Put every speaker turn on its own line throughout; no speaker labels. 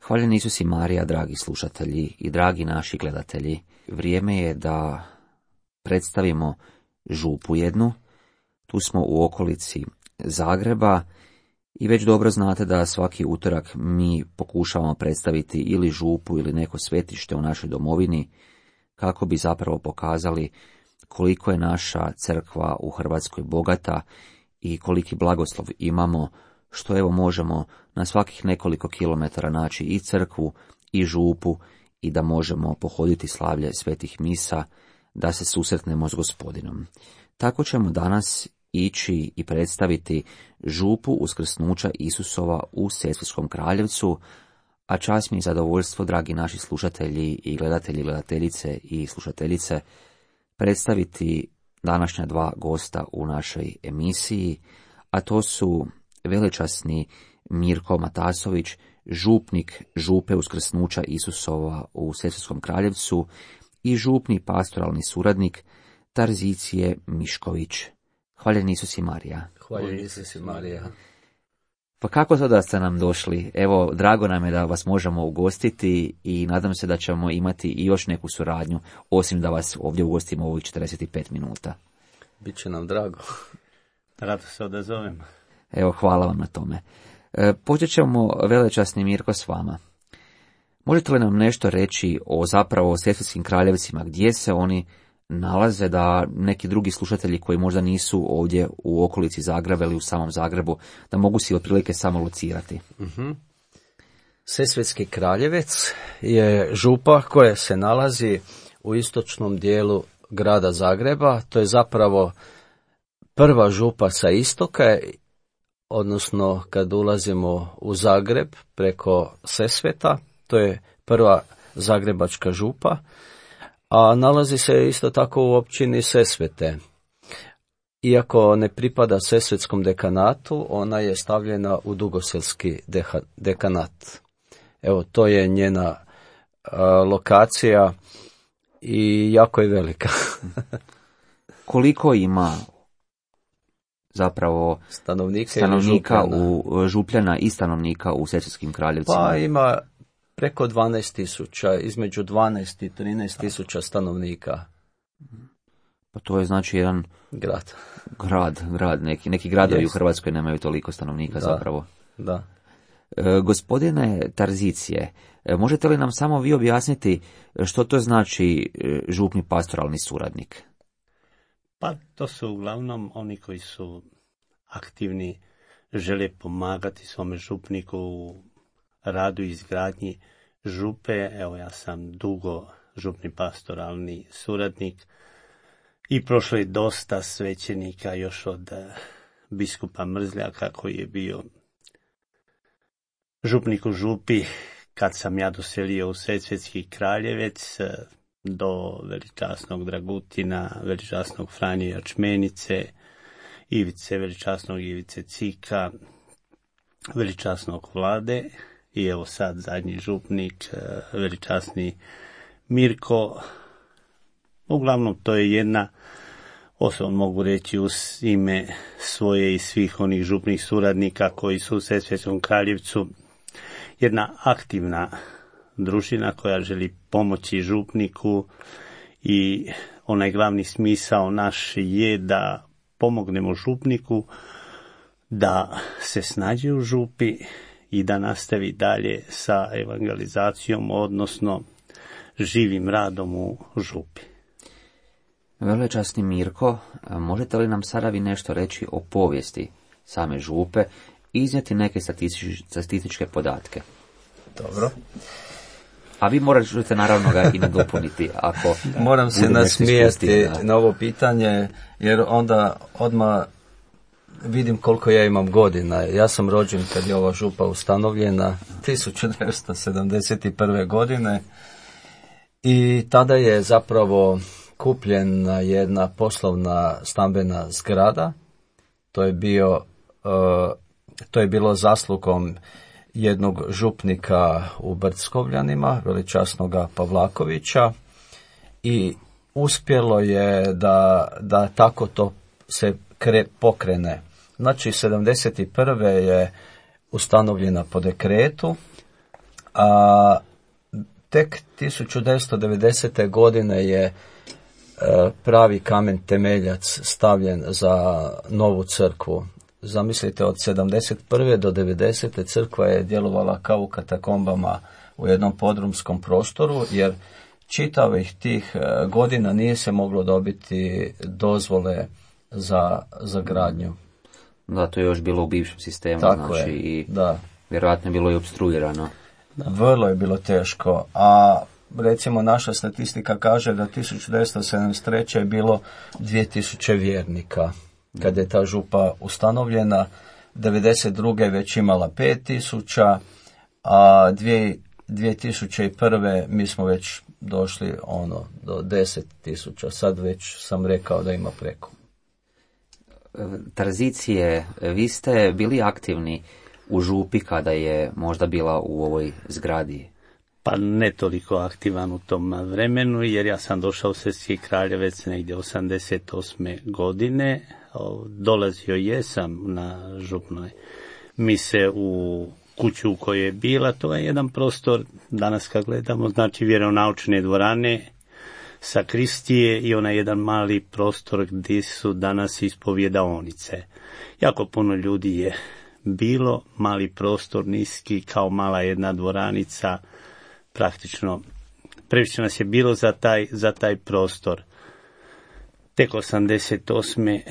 Hvaljen Isus i Marija, dragi slušatelji i dragi naši gledatelji. Vrijeme je da predstavimo župu jednu. Tu smo u okolici Zagreba i već dobro znate da svaki utorak mi pokušavamo predstaviti ili župu ili neko svetište u našoj domovini, kako bi zapravo pokazali koliko je naša crkva u Hrvatskoj bogata i koliki blagoslov imamo, što evo možemo na svakih nekoliko kilometara naći i crkvu i župu i da možemo pohoditi slavlje svetih misa, da se susretnemo s Gospodinom. Tako ćemo danas ići i predstaviti župu uskrsnuća Isusova u Sesvetskom Kraljevcu, a čast mi i zadovoljstvo, dragi naši slušatelji i gledatelji, gledateljice i slušateljice, predstaviti današnja dva gosta u našoj emisiji, a to su velečasni Mirko Matasović, župnik župe uskrsnuća Isusova u Sesvetskom Kraljevcu i župni pastoralni suradnik Tarzicije Mišković. Hvaljen Isus i Marija.
Hvaljen Isus i Marija.
Pa kako to da ste nam došli? Evo, drago nam je da vas možemo ugostiti i nadam se da ćemo imati i još neku suradnju, osim da vas ovdje ugostimo u ovih 45 minuta.
Biće nam drago. Rado se odazovem.
Evo, hvala vam na tome. Počet ćemo, velečasni Mirko, s vama. Možete li nam nešto reći o zapravo Sesvetskim Kraljevcima, gdje se oni nalaze, da neki drugi slušatelji koji možda nisu ovdje u okolici Zagreba ili u samom Zagrebu, da mogu si otprilike samo locirati?
Sesvetski Kraljevec je župa koja se nalazi u istočnom dijelu grada Zagreba. To je zapravo prva župa sa istoka, odnosno kad ulazimo u Zagreb preko Sesveta, to je prva zagrebačka župa, a nalazi se isto tako u općini Sesvete. Iako ne pripada Sesvetskom dekanatu, ona je stavljena u Dugoselski dekanat. Evo, to je njena lokacija i jako je velika.
Koliko ima zapravo stanovnika u Župljana i stanovnika u Sesvetskim Kraljevcima?
Pa ima preko 12.000, između 12 i 13.000 stanovnika.
Pa to je znači jedan grad. Neki gradovi u Hrvatskoj nemaju toliko stanovnika zapravo.
Da.
Gospodine Tarzicije, možete li nam samo vi objasniti što to znači župni pastoralni suradnik?
Pa to su uglavnom oni koji su aktivni, žele pomagati svome župniku u radu i izgradnji župe. Evo, ja sam dugo župni pastoralni suradnik i prošlo je dosta svećenika još od biskupa Mrzljaka koji je bio župnik u župi kad sam ja doselio u Sesvetski Kraljevec, do veličasnog Dragutina, veličasnog Franje Jačmenice, veličasnog Ivice Cika, veličasnog Vlade i evo sad zadnji župnik, veličasni Mirko. Uglavnom to je jedna, osobno mogu reći uz ime svoje i svih onih župnih suradnika koji su u Sesvetskom Kraljevcu, jedna aktivna družina koja želi pomoći župniku i onaj glavni smisao naš je da pomognemo župniku da se snađe u župi i da nastavi dalje sa evangelizacijom, odnosno živim radom u župi.
Velečasni Mirko, možete li nam sada vi nešto reći o povijesti same župe i iznijeti neke statističke podatke?
Dobro.
A vi možete naravno ga i nadopuniti ako...
Moram se nasmijeti na ovo pitanje, jer onda odmah vidim koliko ja imam godina. Ja sam rođen kad je ova župa ustanovljena 1971. godine i tada je zapravo kupljena jedna poslovna stambena zgrada. To je bilo zaslugom jednog župnika u Brdskovljanima, veličasnoga Pavlakovića, i uspjelo je da tako to se pokrene. Znači, 71. je ustanovljena po dekretu, A tek 1990. godine je pravi kamen temeljac stavljen za novu crkvu. Zamislite, od 71. do 90. crkva je djelovala kao u katakombama u jednom podrumskom prostoru, jer čitavih tih godina nije se moglo dobiti dozvole za gradnju.
Da, to je još bilo u bivšem sistemu,
Tako
znači
je,
i
da.
vjerojatno je bilo i opstruirano.
Vrlo je bilo teško, a recimo naša statistika kaže da 1973. je bilo 2000 vjernika. Kad je ta župa ustanovljena, 92. već imala 5000, a 2001. mi smo već došli do 10.000. Sad već sam rekao da ima preko.
Tranzicije, vi ste bili aktivni u župi kada je možda bila u ovoj zgradi?
Pa ne toliko aktivan u tom vremenu, jer ja sam došao u Svetski Kraljevec negdje 88. godine. Dolazio jesam na župnoj mise u kuću u kojoj je bila. To je jedan prostor, danas kad gledamo, znači vjeronaučne dvorane, sakristije i onaj jedan mali prostor gdje su danas ispovjedaonice. Jako puno ljudi je bilo, mali prostor, niski, kao mala jedna dvoranica, praktično previše nas je bilo za taj prostor. Tek 88.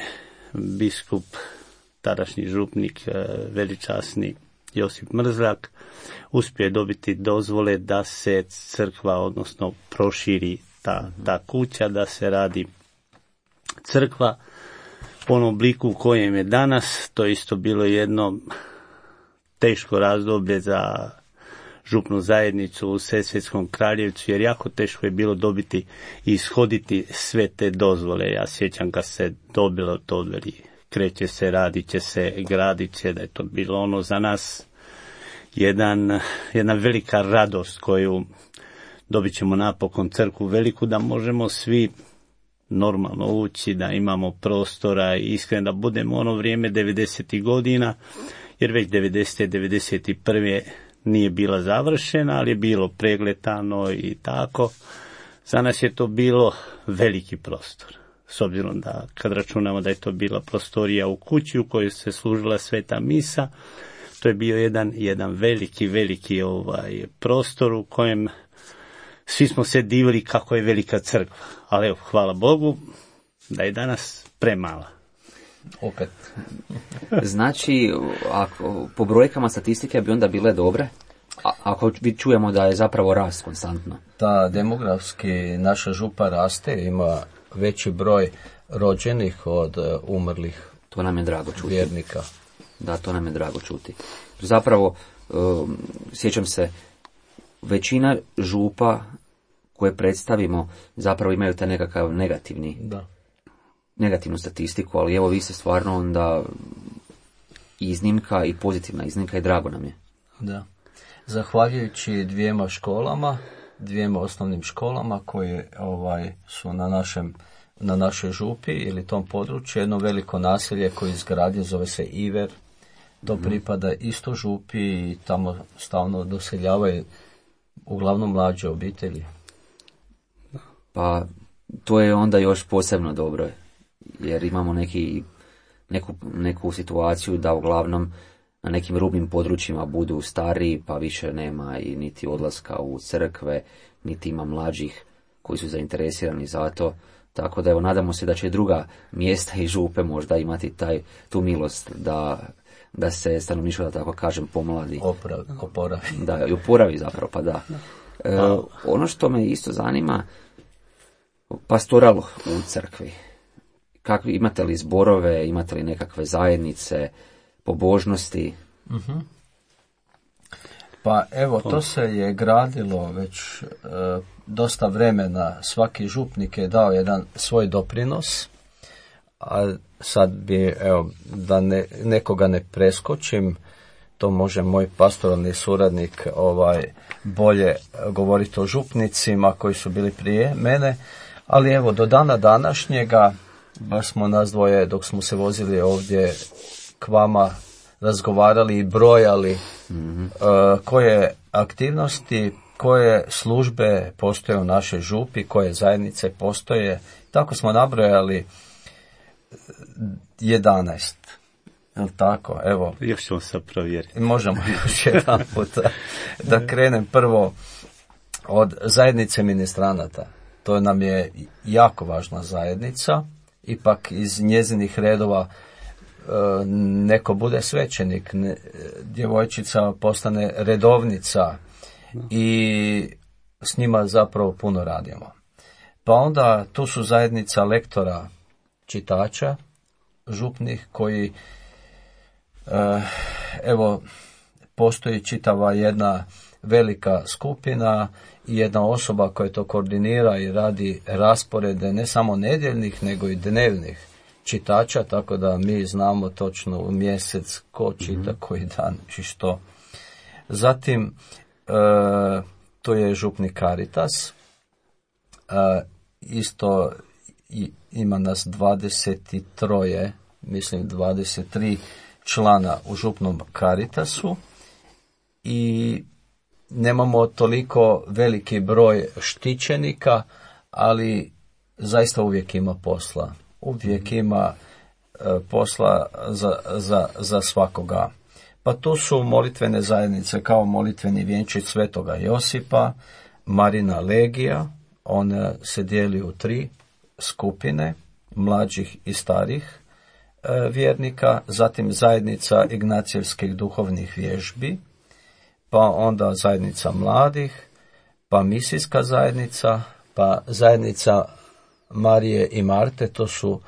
biskup, tadašnji župnik, veličasni Josip Mrzlak, uspio je dobiti dozvole da se crkva, odnosno proširi ta kuća, da se radi crkva u onom obliku u kojem je danas. To isto bilo jedno teško razdoblje za župnu zajednicu u Sesvetskom Kraljevcu, jer jako teško je bilo dobiti i ishoditi sve te dozvole. Ja sjećam kad se dobilo to, kreće se, radit će se, gradit će, da je to bilo za nas jedna velika radost koju dobit ćemo napokon crkvu veliku, da možemo svi normalno ući, da imamo prostora i iskreno da budemo ono vrijeme 90. godina, jer već 90. 91. nije bila završena, ali je bilo pregletano i tako. Za nas je to bilo veliki prostor. S obzirom da kad računamo da je to bila prostorija u kući u kojoj se služila sveta misa, to je bio jedan veliki prostor u kojem svi smo se divili kako je velika crkva. Ali evo, hvala Bogu da je danas premala.
Opet.
Znači, ako, po brojkama statistike bi onda bile dobre, ako čujemo da je zapravo rast konstantno.
Da, demografski naša župa raste, ima veći broj rođenih od umrlih.
To nam je drago čuti.
Vjernika.
Da, to nam je drago čuti. Zapravo, sjećam se, većina župa koje predstavimo zapravo imaju taj nekakav negativnu statistiku, ali evo vi ste stvarno onda iznimka i pozitivna iznimka i drago nam je.
Da. Zahvaljujući dvijema osnovnim školama koje su na našoj župi ili tom području, jedno veliko naselje koje izgradio, zove se Iver, to pripada isto župi i tamo stalno doseljavaju uglavnom mlađe obitelji.
Pa to je onda još posebno dobro, jer imamo neku situaciju da uglavnom na nekim rubnim područjima budu stariji, pa više nema i niti odlaska u crkve, niti ima mlađih koji su zainteresirani za to. Tako da evo, nadamo se da će druga mjesta i župe možda imati tu milost da se stanovništvo, da tako kažem, pomladi.
Oporavi.
Da, i oporavi zapravo, pa da. Ono što me isto zanima, pastoral u crkvi. Imate li zborove, imate li nekakve zajednice, pobožnosti?
Uh-huh. Pa evo, to se je gradilo već dosta vremena. Svaki župnik je dao jedan svoj doprinos, a sad bi, evo, da nekoga ne preskočim, to može moj pastoralni suradnik bolje govoriti o župnicima koji su bili prije mene, ali evo, do dana današnjega, baš smo nas dvoje, dok smo se vozili ovdje k vama razgovarali i brojali koje aktivnosti, koje službe postoje u našoj župi, koje zajednice postoje. Tako smo nabrojali 11. Jel' tako? Evo.
Još ćemo se provjeriti.
Možemo još jedan put da krenem prvo od zajednice ministranata. To nam je jako važna zajednica. Ipak iz njezinih redova neko bude svećenik, djevojčica postane redovnica i s njima zapravo puno radimo. Pa onda tu su zajednica lektora, čitača, župnih koji evo postoji čitava jedna velika skupina i jedna osoba koja to koordinira i radi rasporede ne samo nedjeljnih nego i dnevnih čitača, tako da mi znamo točno u mjesec ko čita koji dan i što. Zatim to je župni Caritas, isto ima nas 23, mislim 23 člana u župnom Caritasu i nemamo toliko veliki broj štićenika, ali zaista uvijek ima posla. Uvijek ima posla za svakoga. Pa tu su molitvene zajednice kao molitveni vjenčić Svetoga Josipa, Marina Legija, ona se dijeli u 3 skupine, mlađih i starih vjernika, zatim zajednica Ignacijevskih duhovnih vježbi, pa onda zajednica mladih, pa misijska zajednica, pa zajednica Marije i Marte, to su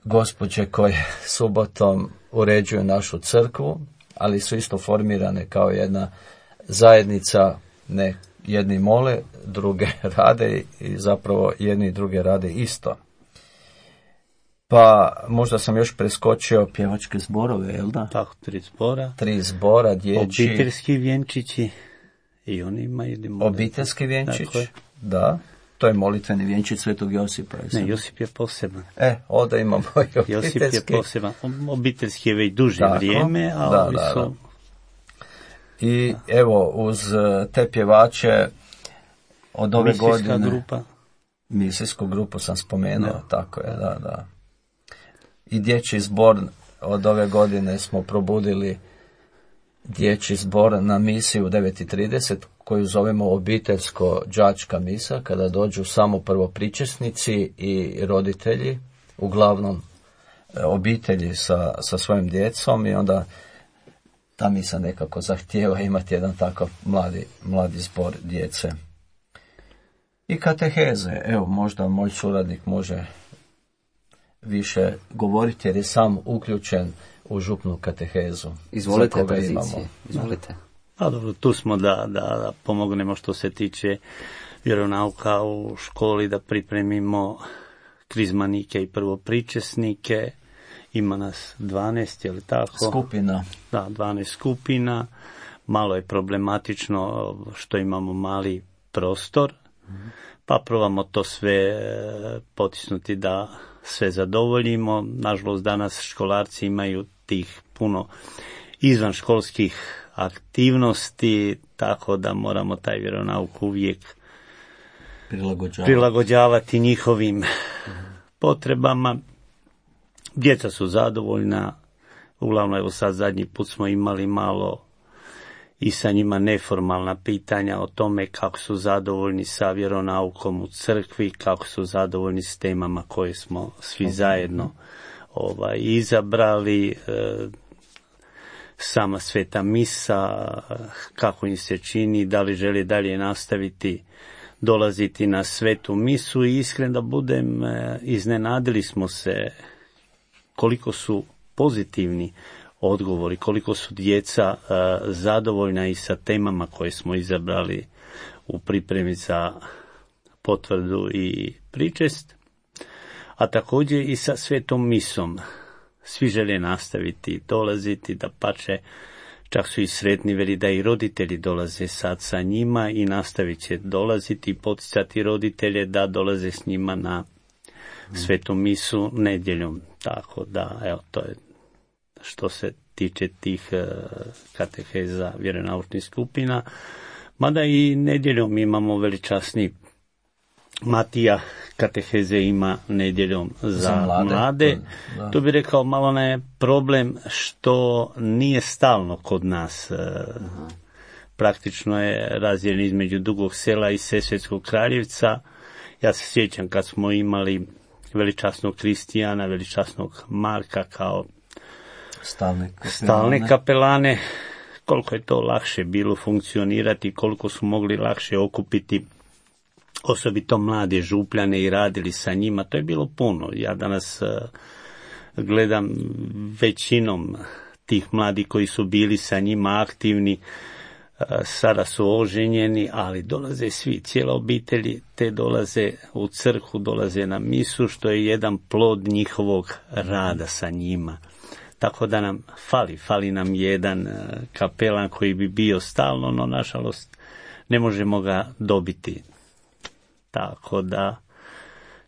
gospođe koje subotom uređuju našu crkvu, ali su isto formirane kao jedna zajednica, ne jedni mole, druge rade i zapravo jedni i druge rade isto. Pa možda sam još preskočio pjevačke zborove, jel da?
Tako, 3 zbora.
3 zbora, dječji.
Obiteljski vjenčići i oni imaju
obiteljski vjenčić, da. To je molitveni vjenčić Svetog Josipa.
Ne, Josip je poseban.
Ovdje imamo i obiteljski.
Josip je poseban. Obiteljski je već duže vrijeme, a ovi su...
I evo, uz te pjevače od ove godine...
grupa.
Misijsku grupu sam spomenuo, tako je, da. I dječji zbor od ove godine smo probudili dječji zbor na misiju 9:30, koju zovemo obiteljsko-đačka misa, kada dođu samo prvopričesnici i roditelji, uglavnom obitelji sa svojim djecom, i onda ta misa nekako zahtijeva imati jedan takav mladi zbor djece. I kateheze, evo možda moj suradnik može više govoriti jer je sam uključen u župnu katehezu.
Izvolite, prezici, izvolite.
A dobro, tu smo da pomognemo što se tiče vjeronauka u školi, da pripremimo krizmanike i prvopričesnike. Ima nas 12, je li tako?
Skupina.
Da, 12 skupina. Malo je problematično što imamo mali prostor, pa probamo to sve potisnuti da sve zadovoljimo. Nažalost, danas školarci imaju tih puno izvanškolskih aktivnosti, tako da moramo taj vjeronauk uvijek prilagođavati njihovim potrebama. Djeca su zadovoljna, uglavnom evo sad zadnji put smo imali malo i sa njima neformalna pitanja o tome kako su zadovoljni sa vjeronaukom u crkvi, kako su zadovoljni s temama koje smo svi zajedno izabrali, sama sveta misa, kako im se čini, da li žele dalje nastaviti dolaziti na svetu misu, i iskreno da budem, iznenadili smo se koliko su pozitivni odgovori, koliko su djeca zadovoljna i sa temama koje smo izabrali u pripremi za potvrdu i pričest, a također i sa svetom misom. Svi žele nastaviti dolaziti, da pače, čak su i sretni, veli da i roditelji dolaze sad sa njima i nastavit će dolaziti i poticati roditelje da dolaze s njima na svetu misu nedjeljom. Tako da, evo, to je što se tiče tih kateheza vjeronaučnih skupina. Mada i nedjeljom imamo veličasni Matija kateheze ima nedjeljom za mlade. To bi rekao, malo je problem što nije stalno kod nas. Praktično je razdijeljen između Dugog Sela i Sesvetskog Kraljevca. Ja se sjećam kad smo imali veličasnog Kristijana, veličasnog Marka kao stalne kapelane, koliko je to lakše bilo funkcionirati, koliko su mogli lakše okupiti osobito mlade župljane i radili sa njima. To je bilo puno. Ja danas gledam većinom tih mladih koji su bili sa njima aktivni, sada su oženjeni, ali dolaze svi, cijela obitelji, te dolaze u crkvu, dolaze na misu, što je jedan plod njihovog rada sa njima. Tako da nam fali nam jedan kapelan koji bi bio stalno, no nažalost ne možemo ga dobiti. Tako da,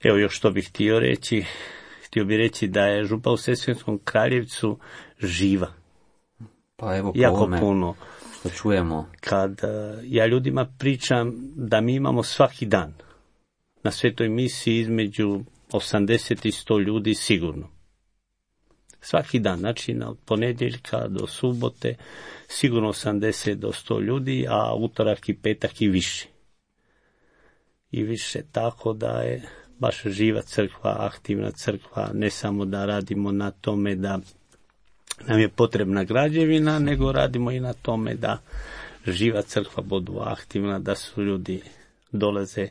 evo još što bih htio reći. Htio bih reći da je župa u Sesvetskom Kraljevcu živa.
Pa evo
jako puno.
Što čujemo.
Kad ja ljudima pričam da mi imamo svaki dan na svetoj misiji između 80 i 100 ljudi sigurno. Svaki dan, znači od ponedjeljka do subote sigurno 80 do 100 ljudi, a utorak i petak i više. I više, tako da je baš živa crkva, aktivna crkva, ne samo da radimo na tome da nam je potrebna građevina, nego radimo i na tome da živa crkva budu aktivna, da su ljudi dolaze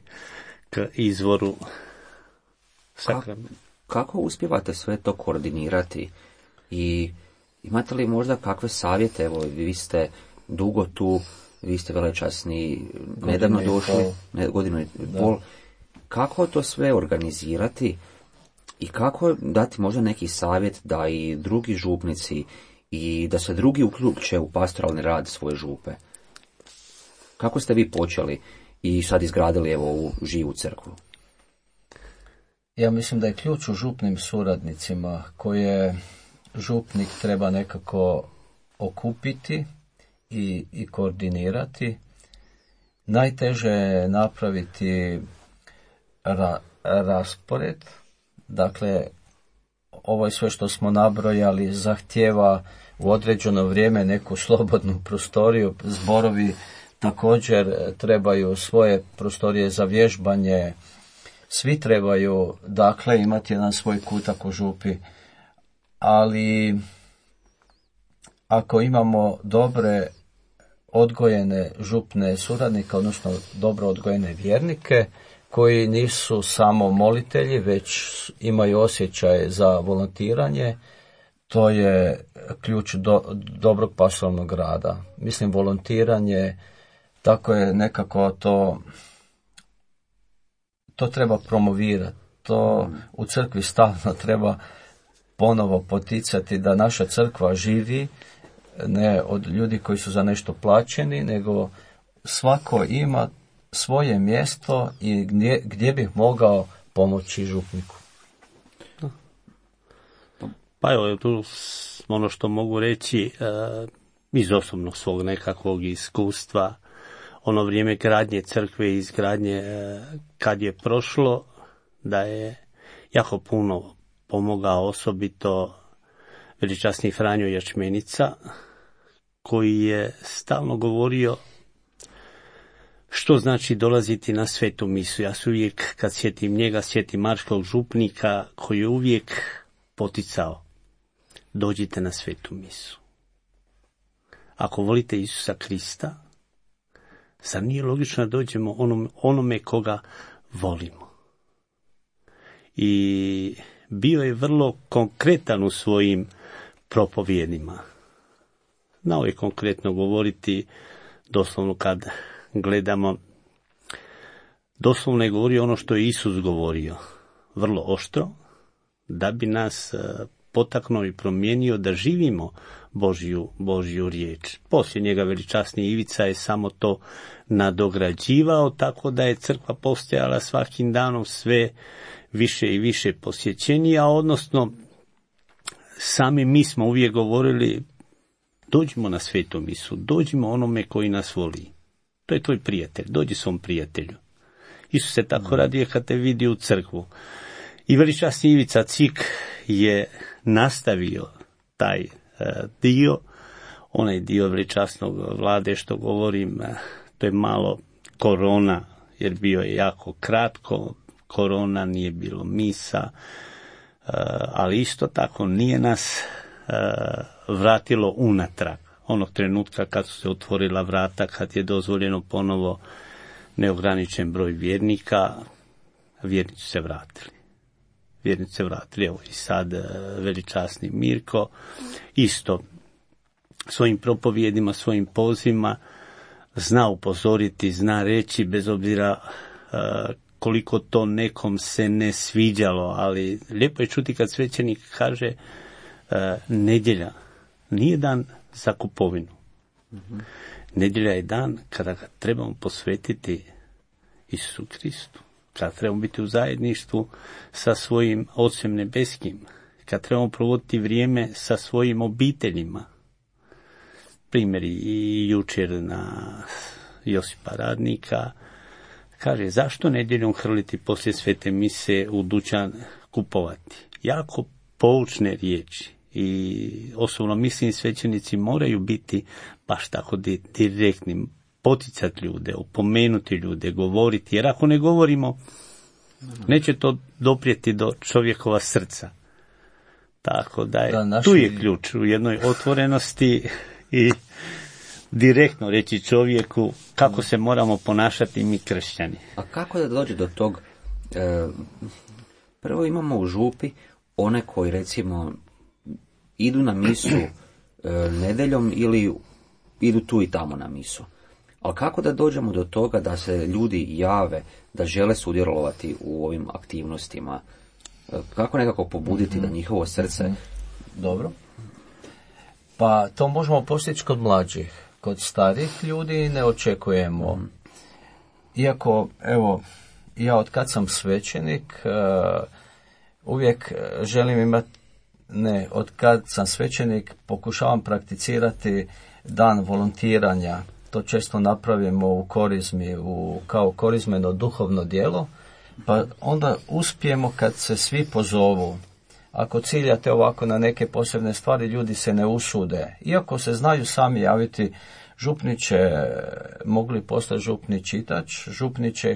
k izvoru sakramenta.
Kako uspijevate sve to koordinirati i imate li možda kakve savjete? Evo, vi ste dugo tu, vi ste velečasni, nedavno došli, godinu i pol. Kako to sve organizirati i kako dati možda neki savjet da i drugi župnici i da se drugi uključe u pastoralni rad svoje župe? Kako ste vi počeli i sad izgradili evo ovu živu crkvu?
Ja mislim da je ključ u župnim suradnicima koje župnik treba nekako okupiti i koordinirati. Najteže je napraviti raspored. Dakle, ovo je sve što smo nabrojali zahtijeva u određeno vrijeme neku slobodnu prostoriju. Zborovi također trebaju svoje prostorije za vježbanje. Svi trebaju, dakle, imati jedan svoj kutak u župi, ali ako imamo dobre odgojene župne suradnike, odnosno dobro odgojene vjernike, koji nisu samo molitelji, već imaju osjećaj za volontiranje, to je ključ dobrog pastoralnog rada. Mislim, volontiranje, tako je nekako to treba promovirati, to u crkvi stalno treba ponovo poticati da naša crkva živi, ne od ljudi koji su za nešto plaćeni, nego svako ima svoje mjesto i gdje bih mogao pomoći župniku.
Pa evo, tu ono što mogu reći iz osobnog svog nekakvog iskustva, ono vrijeme gradnje crkve i izgradnje kad je prošlo, da je jako puno pomogao osobito veličasni Franjo Jačmenica, koji je stalno govorio što znači dolaziti na svetu misu. Ja se uvijek, kad sjetim njega, sjetim marškog župnika koji je uvijek poticao: dođite na svetu misu. Ako volite Isusa Krista, zar nije logično da dođemo onome koga volimo? I bio je vrlo konkretan u svojim propovjedima. Znao je konkretno govoriti, doslovno kad gledamo, doslovno je govorio ono što je Isus govorio, vrlo oštro, da bi nas potaknuo i promijenio da živimo Božju riječ. Poslije njega veličasni Ivica je samo to nadograđivao, tako da je crkva postajala svakim danom sve više i više posjećenija, odnosno sami mi smo uvijek govorili, dođimo na svetu misu, dođimo onome koji nas voli. To je tvoj prijatelj, dođi svom prijatelju. Isus se tako raduje kad te vidi u crkvu. I veličasni Ivica Cik je nastavio taj dio, onaj dio veličasnog Vlade što govorim, to je malo korona, jer bio je jako kratko, korona, nije bilo misa, ali isto tako nije nas vratilo unatrag. Onog trenutka kad su se otvorila vrata, kad je dozvoljeno ponovo neograničen broj vjernika, vjernici se vratili. Evo i sad veličasni Mirko, isto svojim propovijedima, svojim pozivima zna upozoriti, zna reći, bez obzira koliko to nekom se ne sviđalo, ali lijepo je čuti kad svećenik kaže nedjelja nije dan za kupovinu. Nedjelja je dan kada ga trebamo posvetiti Isusu Kristu, kada trebamo biti u zajedništvu sa svojim Ocem nebeskim, kada trebamo provoditi vrijeme sa svojim obiteljima. Primjeri i jučer na Josipa Radnika, kaže, zašto nedjeljom hrliti poslije svete mise u dućan kupovati? Jako poučne riječi i osobno mislim svećenici moraju biti baš tako direktni, poticati ljude, opomenuti ljude, govoriti, jer ako ne govorimo, neće to doprijeti do čovjekova srca. Tako da je, tu je ključ u jednoj otvorenosti i direktno reći čovjeku kako se moramo ponašati mi kršćani.
A kako da dođe do tog? Prvo imamo u župi one koji recimo idu na misu nedeljom ili idu tu i tamo na misu. Ali kako da dođemo do toga da se ljudi jave, da žele sudjelovati u ovim aktivnostima? Kako nekako pobuditi da njihovo srce...
Dobro. Pa to možemo postići kod mlađih. Kod starih ljudi ne očekujemo. Iako, evo, ja od kad sam svećenik, uvijek želim imati, od kad sam svećenik pokušavam prakticirati dan volontiranja. To često napravimo u korizmi, kao korizmeno duhovno djelo, pa onda uspijemo kad se svi pozovu. Ako ciljate ovako na neke posebne stvari, ljudi se ne usude. Iako se znaju sami javiti, župniče, mogli postati župni čitač, župniče,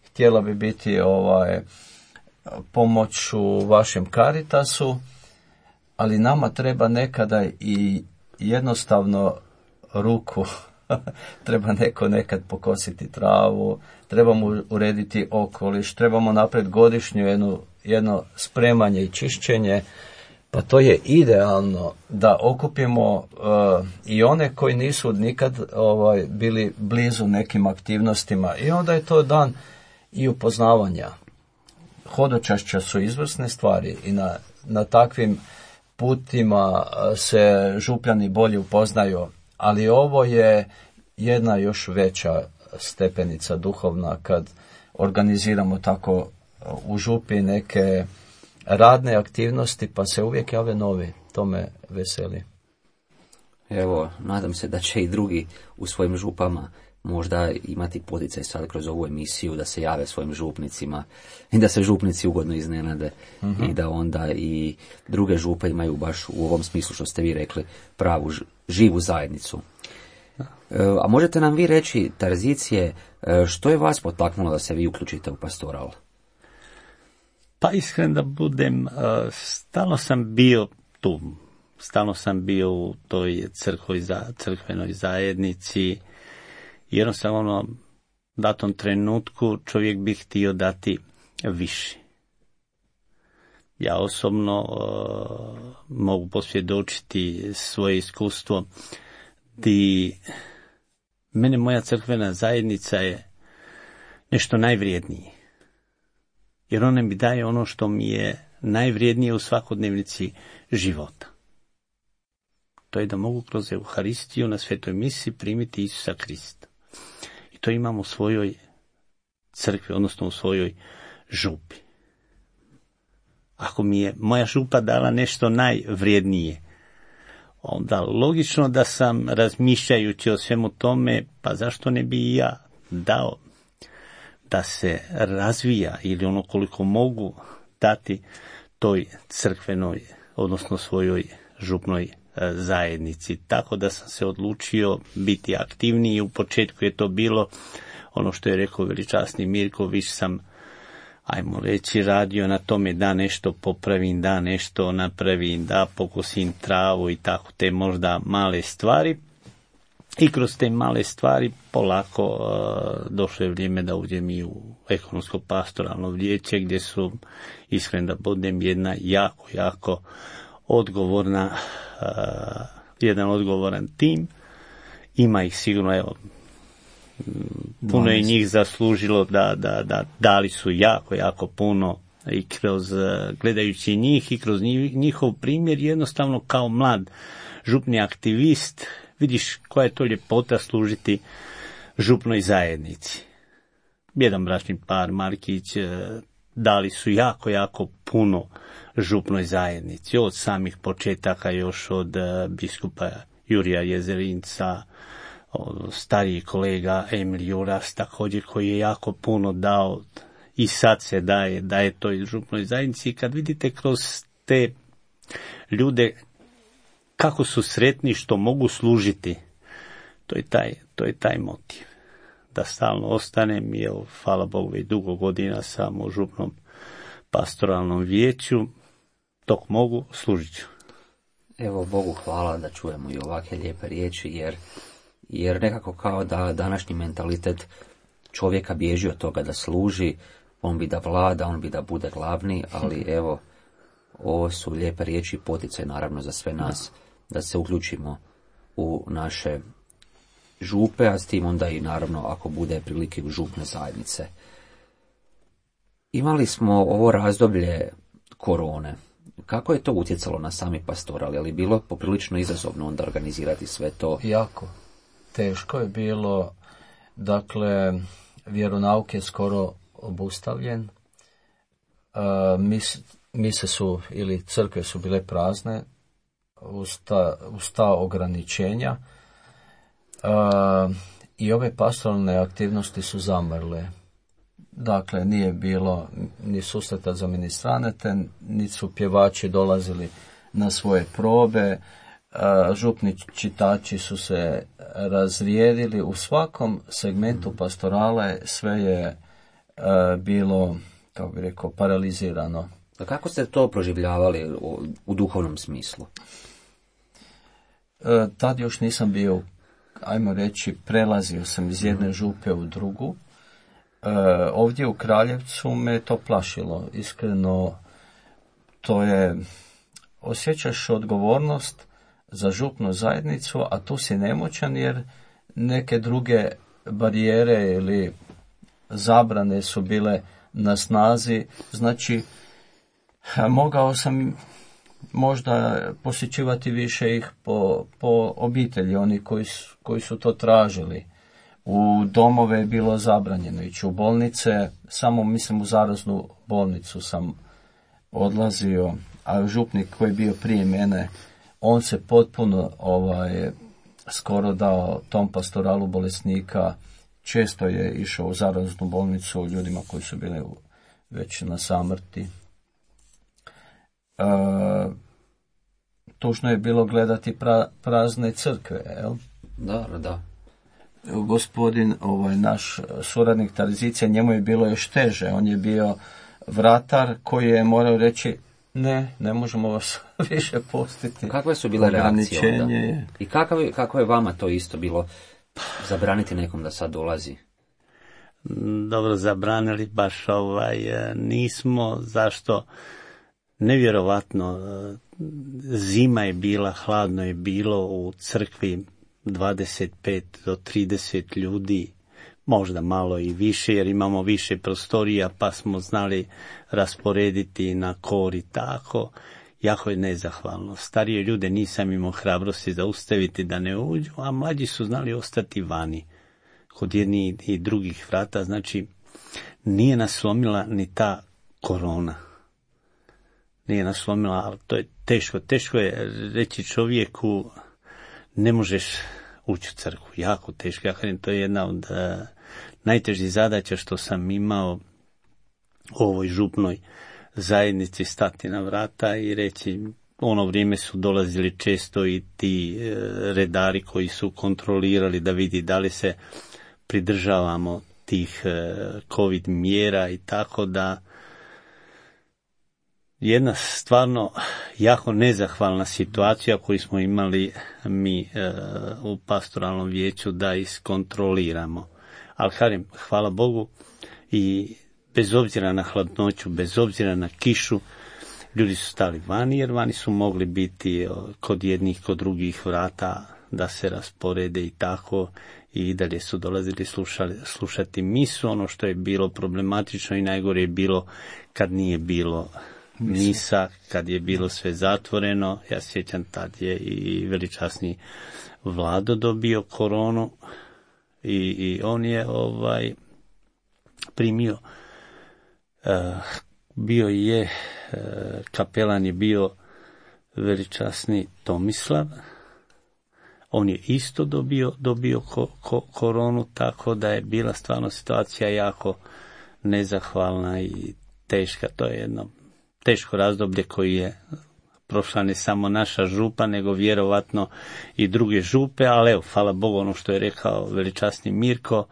htjela bi biti pomoć u vašem Caritasu, ali nama treba nekada i jednostavno ruku. Treba neko nekad pokositi travu, trebamo urediti okoliš, trebamo napraviti godišnju jedno spremanje i čišćenje, pa to je idealno da okupimo i one koji nisu nikad bili blizu nekim aktivnostima i onda je to dan i upoznavanja. Hodočašća su izvrsne stvari i na takvim putima se župljani bolje upoznaju, ali ovo je jedna još veća stepenica duhovna kad organiziramo tako u župi neke radne aktivnosti, pa se uvijek jave novi. To me veseli.
Evo, nadam se da će i drugi u svojim župama možda imati poticaj sad kroz ovu emisiju da se jave svojim župnicima i da se župnici ugodno iznenade i da onda i druge župe imaju baš u ovom smislu što ste vi rekli pravu živu zajednicu. A možete nam vi reći, Tarzicije, što je vas potaknulo da se vi uključite u pastoral?
Pa iskren da budem, stalno sam bio tu. Stalno sam bio u toj crkvenoj zajednici. Jednostavno, u datom trenutku čovjek bi htio dati više. Ja osobno mogu posvjedočiti svoje iskustvo di mene moja crkvena zajednica je nešto najvrijednije. Jer ona mi daje ono što mi je najvrijednije u svakodnevnici života. To je da mogu kroz Euharistiju na svetoj misi primiti Isusa Krista. I to imam u svojoj crkvi, odnosno u svojoj župi. Ako mi je moja župa dala nešto najvrijednije, onda logično da sam razmišljajući o svemu tome, pa zašto ne bi i ja dao da se razvija ili ono koliko mogu dati toj crkvenoj, odnosno svojoj župnoj zajednici. Tako da sam se odlučio biti aktivniji. U početku je to bilo ono što je rekao veličasni Mirko, više sam, ajmo reći, radio na tome da nešto popravim, da nešto napravim, da pokosim travu i tako te možda male stvari. I kroz te male stvari polako došlo je vrijeme da uđem i u ekonomsko pastoralno vijeće, gdje su, iskren da budem, jedna jako odgovorna, jedan odgovoran tim. Ima ih sigurno, evo, puno je njih zaslužilo da dali su jako puno i kroz, gledajući njih i kroz njihov primjer, jednostavno kao mlad župni aktivist, vidiš koja je to ljepota služiti župnoj zajednici. Jedan bračni par, Markić, dali su jako puno župnoj zajednici, od samih početaka, još od biskupa Jurija Jezerinca, stariji kolega Emil Juras također, koji je jako puno dao i sad se daje toj župnoj zajednici. I kad vidite kroz te ljude kako su sretni što mogu služiti, to je taj motiv. Da stalno ostanem, jer hvala Bogu i dugo godina sam u župnom pastoralnom vijeću, dok mogu, služit ću.
Evo, Bogu hvala da čujemo i ovakve lijepe riječi, jer nekako kao da današnji mentalitet čovjeka bježi od toga da služi, on bi da vlada, on bi da bude glavni, ali evo, ovo su lijepe riječi i poticaj naravno za sve nas, da se uključimo u naše župe, a s tim onda i naravno ako bude prilike u župne zajednice. Imali smo ovo razdoblje korone. Kako je to utjecalo na sami pastoral? Je li bilo poprilično izazovno onda organizirati sve to?
Jako. Teško je bilo. Dakle, vjeronauk je skoro obustavljen. Mise su ili crkve su bile prazne uz ta ograničenja. I ove pastoralne aktivnosti su zamrle. Dakle, nije bilo ni susreta za ministranete, ni su pjevači dolazili na svoje probe, župni čitači su se razrijedili. U svakom segmentu pastorale sve je bilo, kako bi rekao, paralizirano.
A kako ste to proživljavali u duhovnom smislu?
Tad još nisam bio, ajmo reći, prelazio sam iz jedne župe u drugu. Ovdje u Kraljevcu me to plašilo. Iskreno, to je, osjećaš odgovornost za župnu zajednicu, a tu si nemoćan jer neke druge barijere ili zabrane su bile na snazi. Znači, mogao sam možda posjećivati više ih po obitelji, oni koji su to tražili. U domove je bilo zabranjeno ići, u bolnice, samo mislim u zaraznu bolnicu sam odlazio, a župnik koji je bio prije mene, on se potpuno skoro dao tom pastoralu bolesnika, često je išao u zaraznu bolnicu ljudima koji su bili već na samrti. Tužno je bilo gledati prazne crkve, jel?
Da.
Gospodin, naš suradnik Tarzicija, njemu je bilo još teže. On je bio vratar koji je morao reći ne možemo vas više pustiti.
Kakve su bile reakcije onda? I kako je vama to isto bilo zabraniti nekom da sad dolazi?
Dobro, zabranili baš nismo. Zašto? Nevjerovatno. Zima je bila, hladno je bilo u crkvi, 25 do 30 ljudi, možda malo i više, jer imamo više prostorija, pa smo znali rasporediti na kor i tako. Jako je nezahvalno. Starije ljude nisam imao hrabrosti zaustaviti da ne uđu, a mlađi su znali ostati vani, kod jednih i drugih vrata. Znači, nije nas slomila ni ta korona. nije naslomila, ali to je teško je reći čovjeku ne možeš ući u crkvu, jako teško. Ja kažem, to je jedna od najtežih zadaća što sam imao u ovoj župnoj zajednici, stati na vrata i reći, ono vrijeme su dolazili često i ti redari koji su kontrolirali da vidi da li se pridržavamo tih COVID mjera i tako da jedna stvarno jako nezahvalna situacija koju smo imali mi u pastoralnom vijeću da iskontroliramo. Ali kažem, hvala Bogu, i bez obzira na hladnoću, bez obzira na kišu, ljudi su stali vani, jer vani su mogli biti kod jednih, kod drugih vrata da se rasporede i tako, i dalje su dolazili slušati misu. Ono što je bilo problematično i najgore je bilo kad nije bilo misa, kad je bilo sve zatvoreno. Ja sjećam, tad je i veličasni Vlado dobio koronu i on je primio, bio je, kapelan je bio veličasni Tomislav, on je isto dobio koronu, tako da je bila stvarno situacija jako nezahvalna i teška. To je jedno teško razdoblje koji je prošla ne samo naša župa, nego vjerovatno i druge župe, ali evo, hvala Bogu, ono što je rekao veličasni Mirko,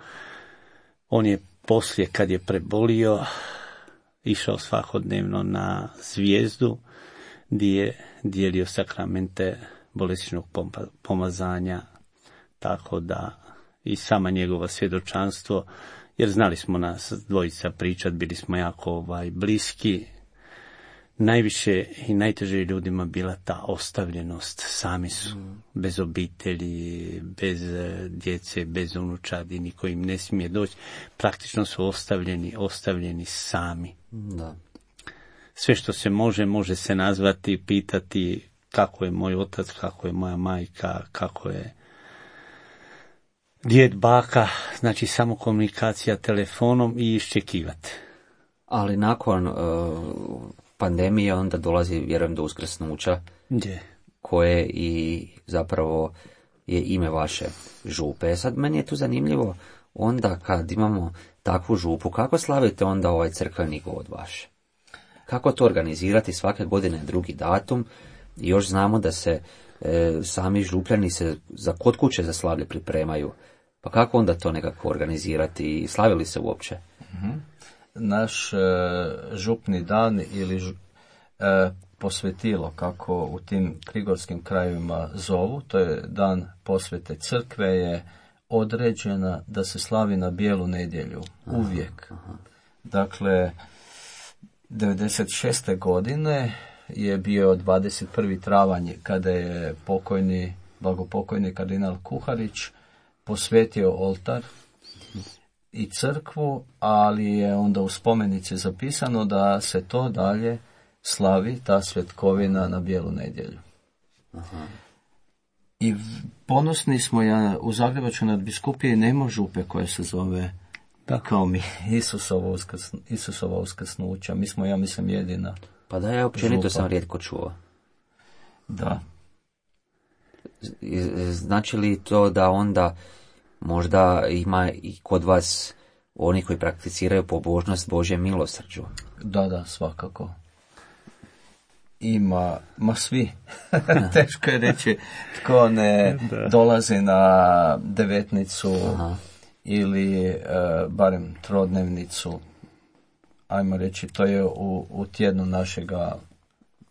on je poslije, kad je prebolio, išao svakodnevno na Zvijezdu, gdje je dijelio sakramente bolesničkog pomazanja, tako da i sama njegova svjedočanstvo, jer znali smo nas dvojica pričat, bili smo jako bliski. Najviše i najteže ljudima bila ta ostavljenost, sami su, bez obitelji, bez djece, bez unučadi, niko im ne smije doći, praktično su ostavljeni sami.
Da.
Sve što se može se nazvati, pitati kako je moj otac, kako je moja majka, kako je djed, baka, znači samo komunikacija telefonom i iščekivati.
Ali nakon pandemije onda dolazi, vjerujem, do uskrsnuća, koje i zapravo je ime vaše župe. Sad meni je tu zanimljivo, onda kad imamo takvu župu, kako slavite onda ovaj crkveni god vaš? Kako to organizirati svake godine drugi datum? I još znamo da se sami župljani se kod kuće za slavlje pripremaju. Pa kako onda to nekako organizirati i slavili se uopće?
Naš župni dan ili posvetilo, kako u tim prigorskim krajevima zovu, to je dan posvete crkve, je određena da se slavi na bijelu nedjelju, uvijek. Dakle, 96. godine je bio 21. travanj kada je blagopokojni kardinal Kuharić posvetio oltar i crkvu, ali je onda u spomenici zapisano da se to dalje slavi, ta svetkovina, na bijelu nedjelju. Aha. I ponosni smo, u Zagrebačkoj nadbiskupiji nema župe koja se zove kao mi, Isusova uskrsnuća. Mi smo, ja mislim, jedina.
Pa da, ja općenito sam rijetko čuo.
Da.
Znači li to da onda možda ima i kod vas oni koji prakticiraju pobožnost Božje milosrđu?
Da, svakako. Ima, svi. Teško je reći tko ne dolazi na devetnicu. Aha. Ili barem trodnevnicu. Ajmo reći, to je u tjednu našega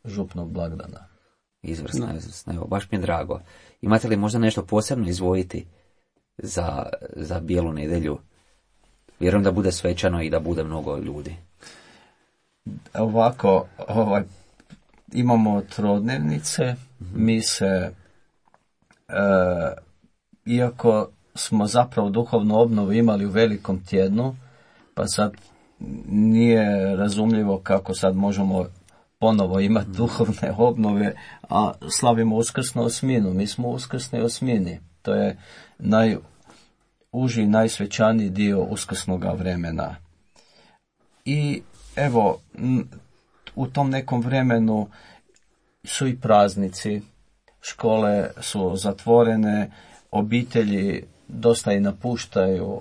župnog blagdana.
Izvrsno. Evo, baš mi je drago. Imate li možda nešto posebno izdvojiti za bijelu nedjelju? Vjerujem da bude svečano i da bude mnogo ljudi.
Ovako, imamo trodnevnice, mi se, iako smo zapravo duhovnu obnovu imali u velikom tjednu, pa sad nije razumljivo kako sad možemo ponovo imati duhovne obnove, a slavimo uskrsnu osminu. Mi smo u uskrsnoj osmini. To je najuži, najsvećaniji dio uskrsnoga vremena. I evo, u tom nekom vremenu su i praznici, škole su zatvorene, obitelji dosta i napuštaju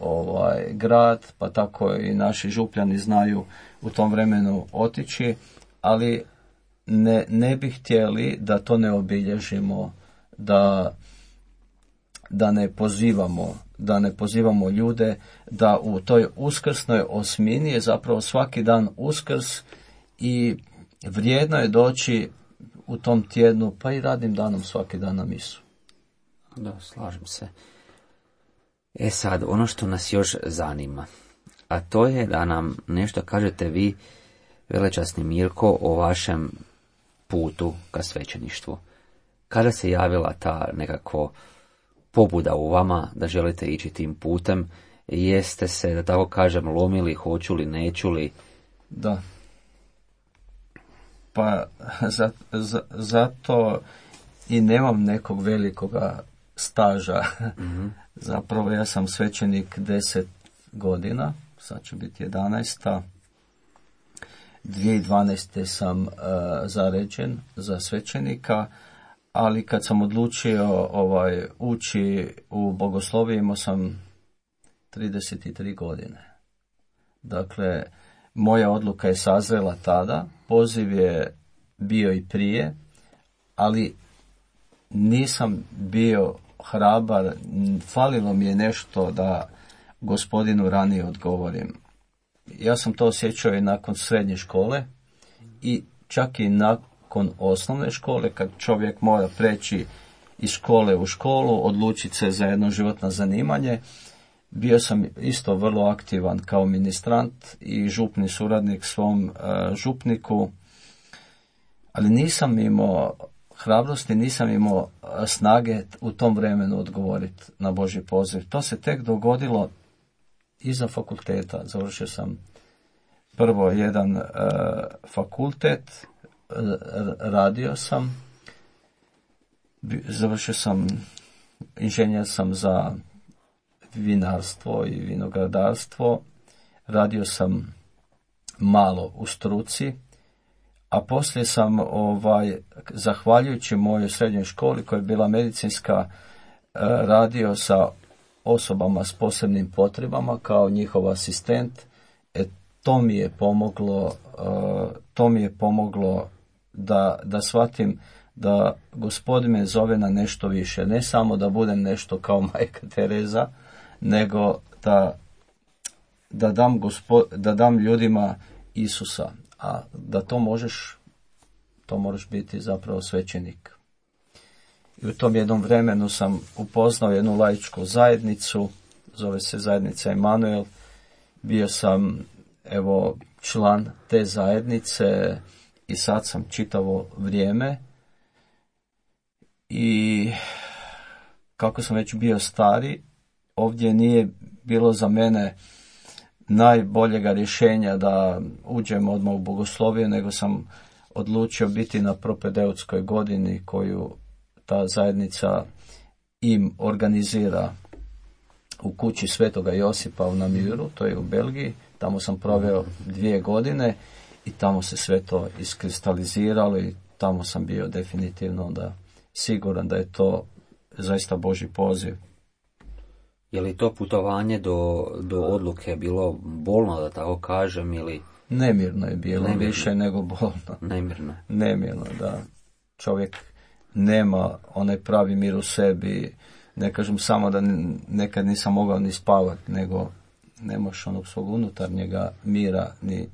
grad, pa tako i naši župljani znaju u tom vremenu otići, ali ne bi htjeli da to ne obilježimo, da ne pozivamo ljude, da u toj uskrsnoj osmini je zapravo svaki dan Uskrs i vrijedno je doći u tom tjednu, pa i radnim danom svaki dan na misu.
Da, slažem se. Sad, ono što nas još zanima, a to je da nam nešto kažete vi, velečasni Mirko, o vašem putu ka svećeništvu. Kada se javila ta nekako pobuda u vama da želite ići tim putem, jeste se, da tako kažem, lomili, hoću li, neću li?
Da. Pa zato i nemam nekog velikoga staža. Mm-hmm. Zapravo ja sam svećenik 10 godina, sad će biti 11. 2012. sam zaređen za svećenika, ali kad sam odlučio ući u bogoslovije, imao sam 33 godine. Dakle, moja odluka je sazrela tada, poziv je bio i prije, ali nisam bio hrabar, falilo mi je nešto da Gospodinu ranije odgovorim. Ja sam to osjećao i nakon srednje škole i čak i nakon osnovne škole, kad čovjek mora preći iz škole u školu, odlučiti se za jedno životno zanimanje. Bio sam isto vrlo aktivan kao ministrant i župni suradnik svom župniku, ali nisam imao hrabrosti, nisam imao snage u tom vremenu odgovoriti na Božji poziv. To se tek dogodilo iza fakulteta. Završio sam prvo jedan fakultet, radio sam, završio sam, inženjer sam za vinarstvo i vinogradarstvo, radio sam malo u struci, a poslije sam zahvaljujući mojoj srednjoj školi koja je bila medicinska, radio sa osobama s posebnim potrebama kao njihov asistent. To mi je pomoglo da shvatim da Gospodin me zove na nešto više, ne samo da budem nešto kao Majka Tereza, nego da dam ljudima Isusa, a da to moraš biti zapravo svećenik. I u tom jednom vremenu sam upoznao jednu laičku zajednicu, zove se zajednica Emanuel, bio sam član te zajednice i sad sam čitavo vrijeme i kako sam već bio stari, ovdje nije bilo za mene najboljega rješenja da uđem odmah u bogoslovije, nego sam odlučio biti na propedeutskoj godini koju ta zajednica im organizira u kući Svetoga Josipa u Namiru, to je u Belgiji. Tamo sam proveo 2 godine i tamo se sve to iskristaliziralo i tamo sam bio definitivno onda siguran da je to zaista Božji poziv.
Je li to putovanje do odluke bilo bolno, da tako kažem, ili...
Nemirno je bilo, više nego bolno. Nemirno, da. Čovjek nema onaj pravi mir u sebi. Ne kažem samo da nekad nisam mogao ni spavati, nego nemaš onog svog unutarnjega mira, ni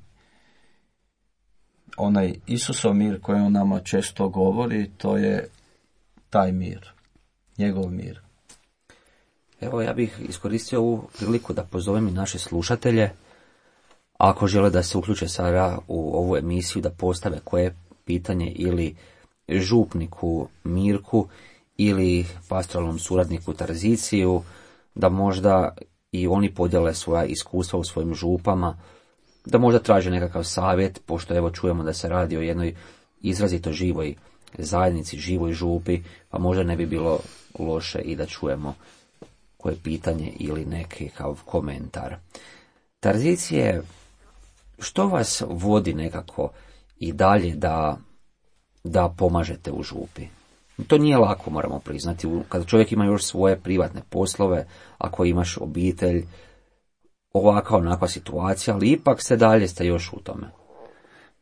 onaj Isusov mir koji on nama često govori, to je taj mir, njegov mir.
Evo, ja bih iskoristio ovu priliku da pozovem i naše slušatelje, ako žele da se uključe sada u ovu emisiju, da postave koje pitanje ili župniku Mirku ili pastoralnom suradniku Tarziciju, da možda i oni podijele svoja iskustva u svojim župama, da možda traže nekakav savjet, pošto evo čujemo da se radi o jednoj izrazito živoj zajednici, živoj župi, pa možda ne bi bilo loše i da čujemo koje pitanje ili neki kao komentar. Tarzicije, što vas vodi nekako i dalje da pomažete u župi. To nije lako, moramo priznati, kada čovjek ima još svoje privatne poslove, ako imaš obitelj, ovakva onakva situacija, ali ipak ste još u tome.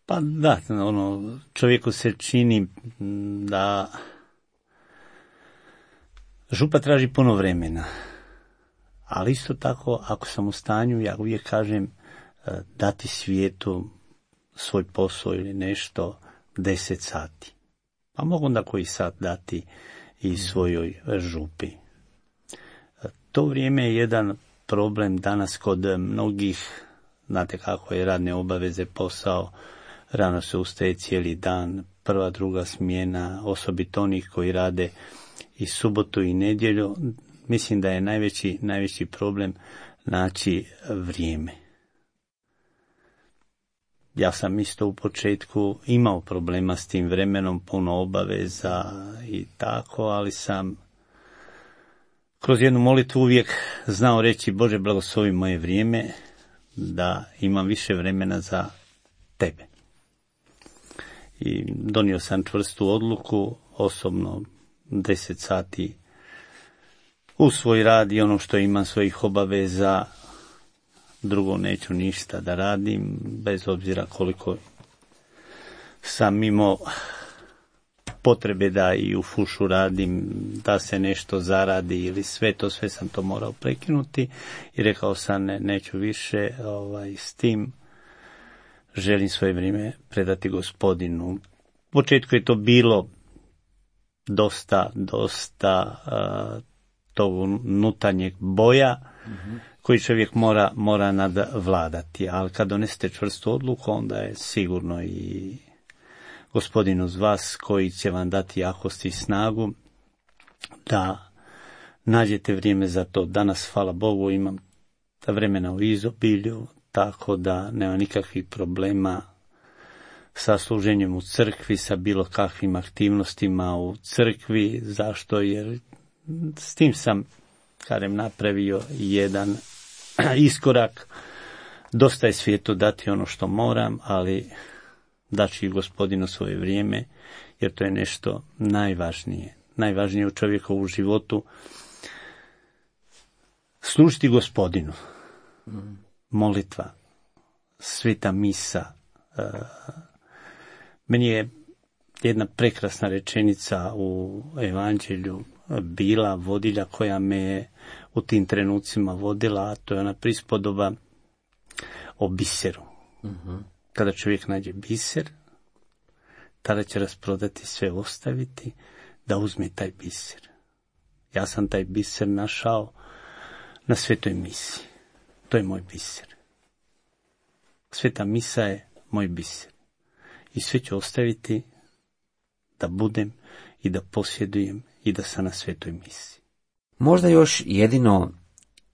Pa da, čovjeku se čini da župa traži puno vremena, ali isto tako, ako sam u stanju, ja uvijek kažem, dati svijetu svoj posao ili nešto 10 sati. Pa mogu onda koji sat dati i svojoj župi. To vrijeme je jedan problem danas kod mnogih, znate kako je radne obaveze, posao, rano se ustaje cijeli dan, prva, druga smjena, osobito onih koji rade i subotu i nedjelju. Mislim da je najveći problem naći vrijeme. Ja sam isto u početku imao problema s tim vremenom, puno obaveza i tako, ali sam kroz jednu molitvu uvijek znao reći: Bože, blagoslovi moje vrijeme, da imam više vremena za tebe. I donio sam čvrstu odluku, osobno 10 sati u svoj rad i ono što imam svojih obaveza, drugo neću ništa da radim, bez obzira koliko sam imao potrebe da i u fušu radim, da se nešto zaradi ili sve sam to morao prekinuti i rekao sam neću više s tim, želim svoje vrijeme predati Gospodinu. U početku je to bilo dosta tog unutarnjeg boja, koji čovjek mora nadvladati, ali kad donesete čvrstu odluku, onda je sigurno i Gospodin uz vas koji će vam dati jakost i snagu da nađete vrijeme za to. Danas, hvala Bogu, imam vremena u izobilju, tako da nema nikakvih problema sa služenjem u crkvi, sa bilo kakvim aktivnostima u crkvi. Zašto? Jer s tim sam napravio jedan iskorak. Dosta je svijetu dati ono što moram, ali daći Gospodinu svoje vrijeme, jer to je nešto najvažnije u čovjekovu životu. Služiti Gospodinu. Molitva, sveta misa. Meni je jedna prekrasna rečenica u evanđelju bila vodilja koja me je u tim trenucima vodila, a to je ona prispodoba o biseru. Kada čovjek nađe biser, tada će rasprodati sve, ostaviti, da uzme taj biser. Ja sam taj biser našao na svetoj misi. To je moj biser. Sveta misa je moj biser. I sve ću ostaviti da budem i da posjedujem i da sam na svetoj misi.
Možda još jedino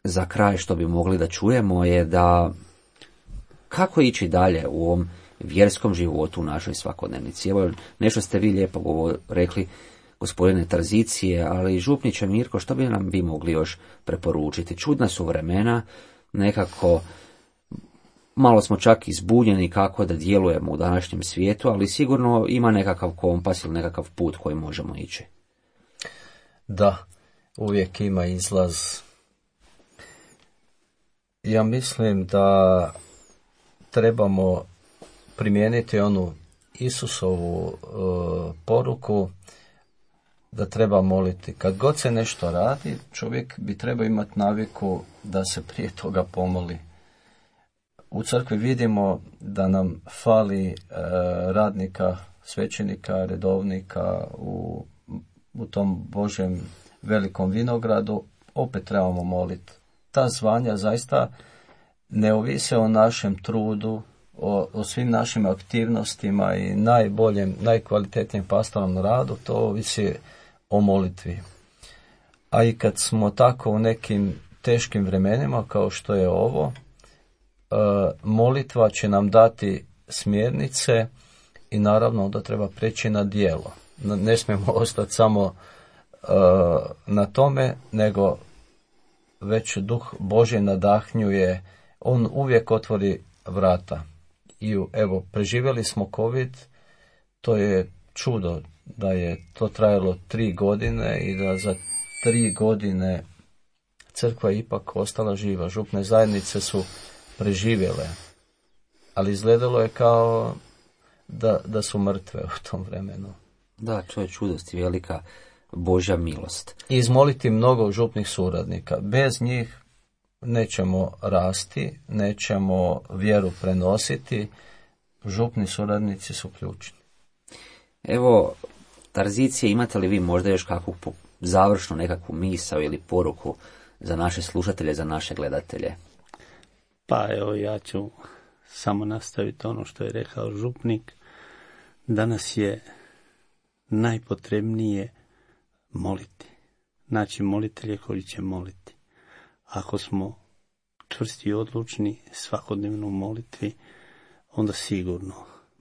za kraj što bi mogli da čujemo je da kako ići dalje u ovom vjerskom životu u našoj svakodnevnici. Evo, nešto ste vi lijepo rekli, gospodine, tranzicije, ali župniče Mirko, što bi nam vi mogli još preporučiti? Čudna su vremena, nekako malo smo čak izbunjeni kako da djelujemo u današnjem svijetu, ali sigurno ima nekakav kompas ili nekakav put koji možemo ići.
Da, uvijek ima izlaz. Ja mislim da trebamo primijeniti onu Isusovu poruku da treba moliti. Kad god se nešto radi, čovjek bi trebao imati naviku da se prije toga pomoli. U crkvi vidimo da nam fali radnika, svećenika, redovnika u tom Božjem velikom vinogradu. Opet trebamo moliti. Ta zvanja zaista ne ovise o našem trudu, o svim našim aktivnostima i najkvalitetnijem pastornom radu, to ovisi o molitvi. A i kad smo tako u nekim teškim vremenima kao što je ovo, molitva će nam dati smjernice i naravno da treba preći na djelo. Ne smijemo ostati samo na tome, nego već Duh Božji nadahnjuje, on uvijek otvori vrata i evo, preživjeli smo COVID, to je čudo da je to trajalo 3 godine i da za 3 godine crkva je ipak ostala živa. Župne zajednice su preživjele, ali izgledalo je kao da su mrtve u tom vremenu.
Da, to je čudost i velika Božja milost.
I izmoliti mnogo župnih suradnika. Bez njih nećemo rasti, nećemo vjeru prenositi. Župni suradnici su ključni.
Evo, Tarzicije, imate li vi možda još kakvu završnu nekakvu misao ili poruku za naše slušatelje, za naše gledatelje?
Pa evo, ja ću samo nastaviti ono što je rekao župnik. Danas je najpotrebnije moliti. Znači, molitelje koji će moliti. Ako smo čvrsti i odlučni svakodnevno u molitvi, onda sigurno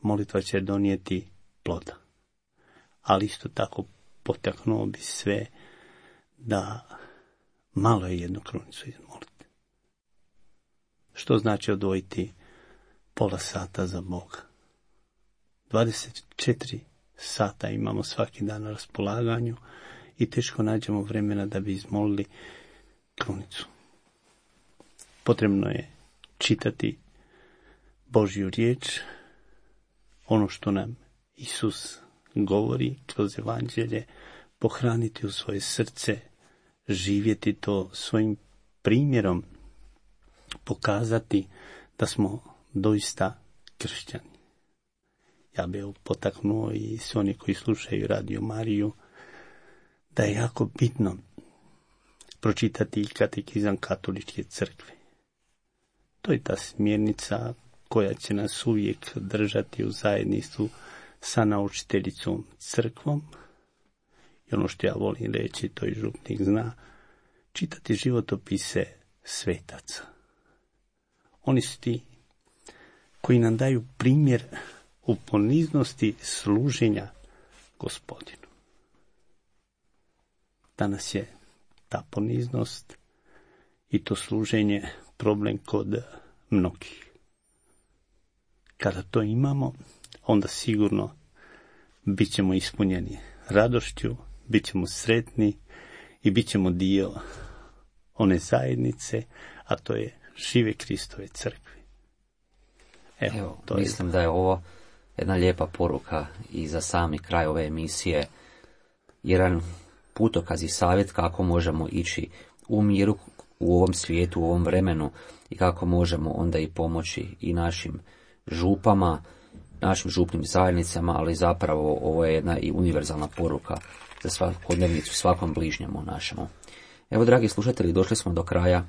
molitva će donijeti ploda. Ali isto tako potaknuo bi sve da malo je jednu krunicu izmoliti. Što znači odvojiti pola sata za Boga? 24 sata imamo svaki dan na raspolaganju i teško nađemo vremena da bi izmolili krunicu. Potrebno je čitati Božju riječ, ono što nam Isus govori kroz evanđelje, pohraniti u svoje srce, živjeti to svojim primjerom, pokazati da smo doista kršćani. Ja bih potaknuo i sve oni koji slušaju Radio Mariju da je jako bitno pročitati i katekizam katoličke crkve. To je ta smjernica koja će nas uvijek držati u zajedništvu sa naučiteljicom crkvom. I ono što ja volim reći, to i župnik zna, čitati životopise svetaca. Oni su ti koji nam daju primjer u poniznosti služenja Gospodinu. Danas je ta poniznost i to služenje problem kod mnogih. Kada to imamo, onda sigurno bit ćemo ispunjeni radošću, bit ćemo sretni i bit ćemo dio one zajednice, a to je žive Kristove crkve.
Evo, mislim da je ovo jedna lijepa poruka i za sami kraj ove emisije, jedan putokaz i savjet kako možemo ići u miru u ovom svijetu, u ovom vremenu i kako možemo onda i pomoći i našim župama, našim župnim zajednicama, ali zapravo ovo je jedna i univerzalna poruka za svakodnevnicu, svakom bližnjemu našemu. Evo, dragi slušatelji, došli smo do kraja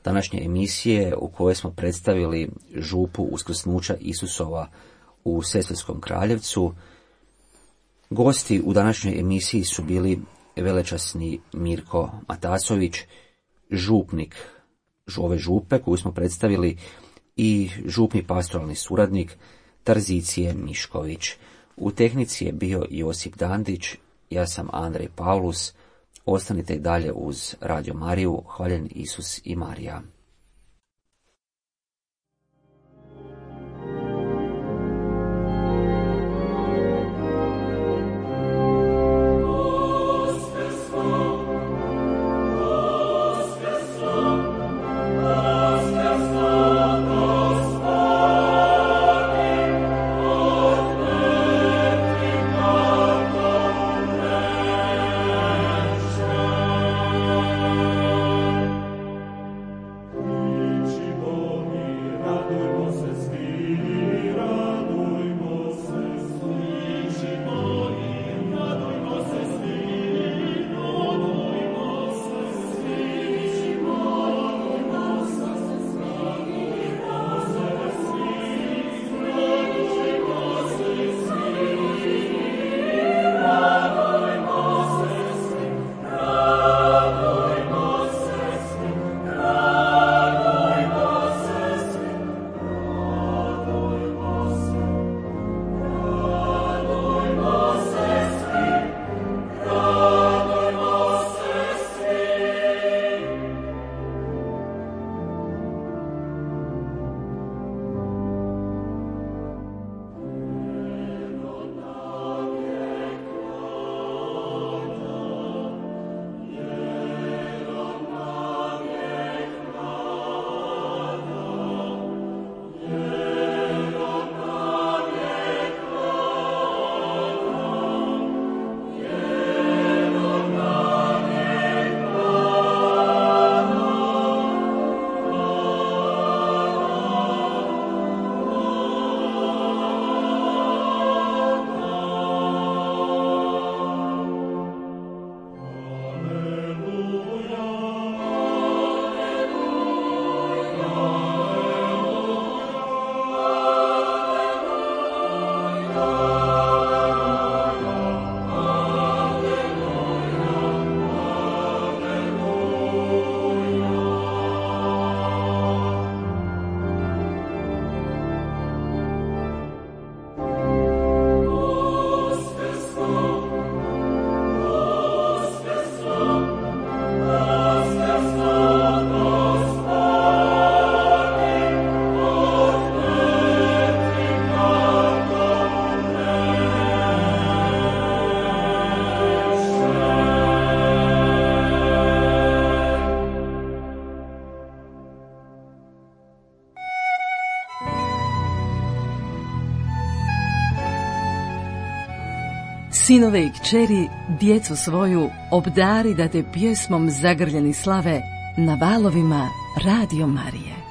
današnje emisije u kojoj smo predstavili župu uskrsnuća Isusova u Sesvetskom Kraljevcu. Gosti u današnjoj emisiji su bili velečasni Mirko Matasović, župnik ove župe koju smo predstavili, i župni pastoralni suradnik Tarzicije Mišković. U tehnici je bio Josip Dandić, ja sam Andrej Paulus. Ostanite i dalje uz Radio Mariju. Hvaljen Isus i Marija.
Sinove i kćeri, djecu svoju, obdari da te pjesmom zagrljeni slave na valovima Radio Marije.